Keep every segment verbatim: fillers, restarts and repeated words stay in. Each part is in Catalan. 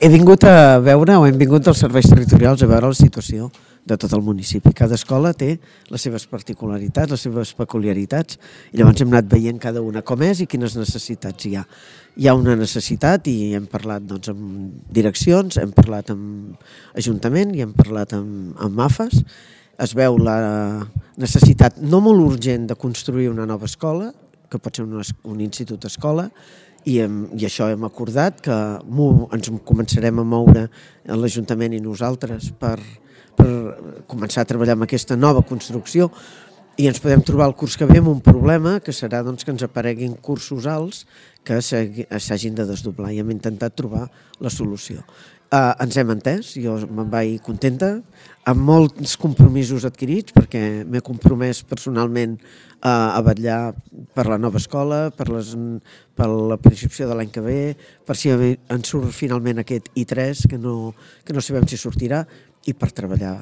he vingut a veure, o hem vingut als serveis territorials a veure la situació de tot el municipi. Cada escola té les seves particularitats, les seves peculiaritats, i llavors hem anat veient cada una com és i quines necessitats hi ha. Hi ha una necessitat i hem parlat doncs, amb direccions, hem parlat amb Ajuntament i hem parlat amb, amb A F A S. Es veu la necessitat no molt urgent de construir una nova escola, que pot ser un, un institut escola, i, hem, i això hem acordat que ens començarem a moure a l'Ajuntament i nosaltres per, per començar a treballar amb aquesta nova construcció, i ens podem trobar el curs que ve amb un problema que serà doncs, que ens apareguin cursos alts que s'hagin de desdoblar, i hem intentat trobar la solució. Uh, ens hem entès, jo me'n vaig contenta, amb molts compromisos adquirits, perquè m'he compromès personalment uh, a vetllar per la nova escola, per, les, per la preinscripció de l'any que ve, per si ens surt finalment aquest I tres, que no, que no sabem si sortirà, i per treballar,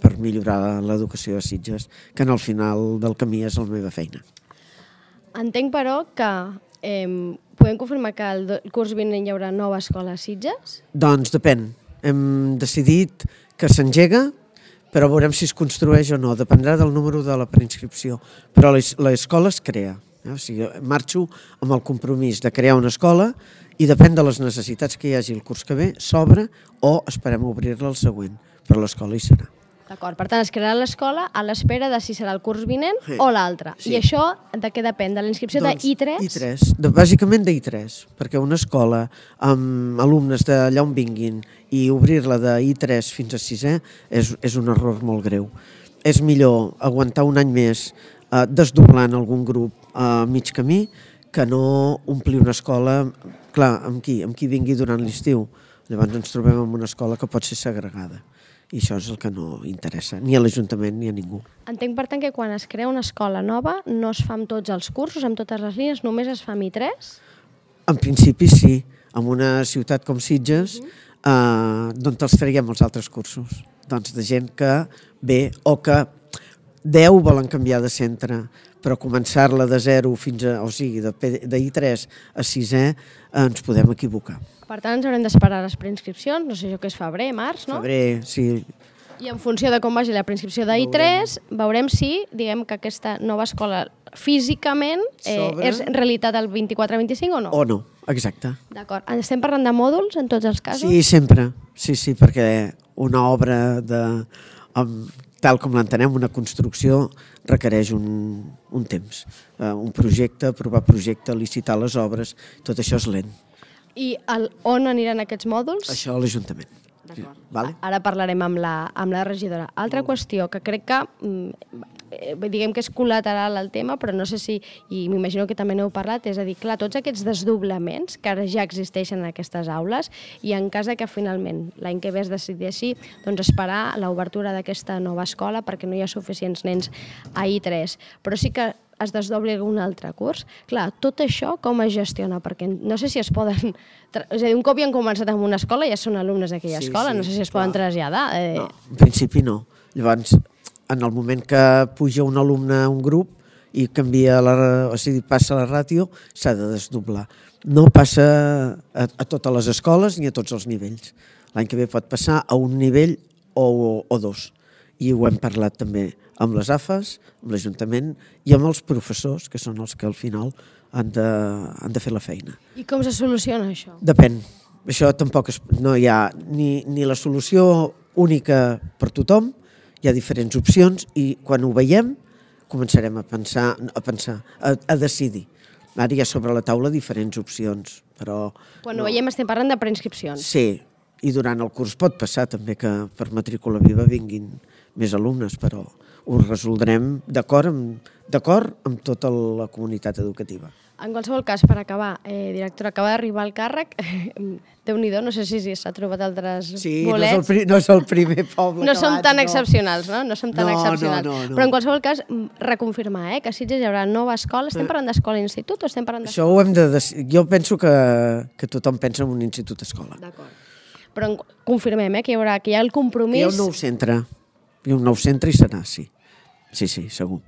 per millorar l'educació a Sitges, que en el final del camí és la meva feina. Entenc, però, que eh, podem confirmar que el curs vinent hi haurà nova escola a Sitges? Doncs depèn. Hem decidit que s'engega, però veurem si es construeix o no. Dependrà del número de la preinscripció. Però l'escola es crea. Eh? O sigui, marxo amb el compromís de crear una escola i depèn de les necessitats que hi hagi el curs que ve, s'obre o esperem obrir-la el següent. Però l'escola hi serà. D'acord, per tant es crearà l'escola a l'espera de si serà el curs vinent sí. o l'altre. Sí. I això de què depèn? De la inscripció doncs, de I tres? I tres, de, bàsicament de I tres, perquè una escola amb alumnes d'allà on vinguin i obrir-la de I tres fins a sisè és, és un error molt greu. És millor aguantar un any més eh, desdoblant algun grup a eh, mig camí que no omplir una escola, clar, amb qui, amb qui vingui durant l'estiu. Llavors ens trobem en una escola que pot ser segregada. I això és el que no interessa, ni a l'Ajuntament ni a ningú. Entenc, per tant, que quan es crea una escola nova no es fa amb tots els cursos, amb totes les línies, només es fa amb I tres? En principi sí. En una ciutat com Sitges, uh-huh. eh, d'on els traiem els altres cursos? Doncs de gent que ve o que deu volen canviar de centre, però començar-la de zero fins a, o sigui, de, de I tres a sisè, eh, ens podem equivocar. Per tant, ens haurem d'esperar les preinscripcions, no sé jo què és febrer, març, no? Febrer, sí. I en funció de com vagi la preinscripció de I tres, veurem si, diguem que aquesta nova escola físicament eh, és realitat el vint-i-quatre vint-i-cinc o no? O no, exacte. D'acord. Estem parlant de mòduls en tots els casos? Sí, sempre. Sí, sí, perquè una obra de... Amb, tal com l'entenem, una construcció requereix un, un temps. Uh, un projecte, aprovar projecte, licitar les obres, tot això és lent. I el, on aniran aquests mòduls? Això a l'Ajuntament. D'acord. Vale? Ara parlarem amb la, amb la regidora. Altra qüestió que crec que eh, diguem que és col·lateral al tema, però no sé si, i m'imagino que també n'heu parlat, és a dir, clar, tots aquests desdoblaments que ara ja existeixen en aquestes aules, i en cas de que finalment l'any que ve es decideixi, doncs esperar l'obertura d'aquesta nova escola perquè no hi ha suficients nens a I tres. Però sí que es desdobli algun altre curs. Clar, tot això com es gestiona? Perquè no sé si es poden... És a dir, un cop ja han començat en una escola, ja són alumnes d'aquella sí, escola, sí, no sé si es clar. Poden traslladar. Eh... No, en principi no. Llavors, en el moment que puja un alumne a un grup i canvia la, o sigui, passa la ràtio, s'ha de desdoblar. No passa a, a totes les escoles ni a tots els nivells. L'any que ve pot passar a un nivell o, o dos. I ho hem parlat també amb les A F A S, amb l'Ajuntament i amb els professors, que són els que al final han de, han de fer la feina. I com se soluciona això? Depèn. Això tampoc es, no hi ha ni, ni la solució única per tothom, hi ha diferents opcions i quan ho veiem començarem a pensar, a, pensar, a, a decidir. Ara hi ha sobre la taula diferents opcions, però... Quan no. Ho veiem estem parlant de preinscripcions. Sí, i durant el curs pot passar també que per matrícula viva vinguin més alumnes, però ho resoldrem d'acord amb, d'acord amb tota la comunitat educativa. En qualsevol cas, per acabar, eh, directora, acaba d'arribar al càrrec, Déu-n'hi-do, no sé si s'ha trobat altres sí, bolets. Sí, no, no és el primer poble no som abans, tan no. excepcionals, no? No som tan no, excepcionals. No, no, no. Però en qualsevol cas, reconfirmar, eh, que a Sitges hi haurà nova escola. Estem parlant d'escola i institut o estem parlant d'escola? Això ho hem de... Jo penso que, que tothom pensa en un institut-escola. D'acord. Però confirmem, eh, que hi haurà, que hi ha el compromís... Hi ha un nou centre. Hi ha un nou centre i serà, sí. Sí, sí, segur.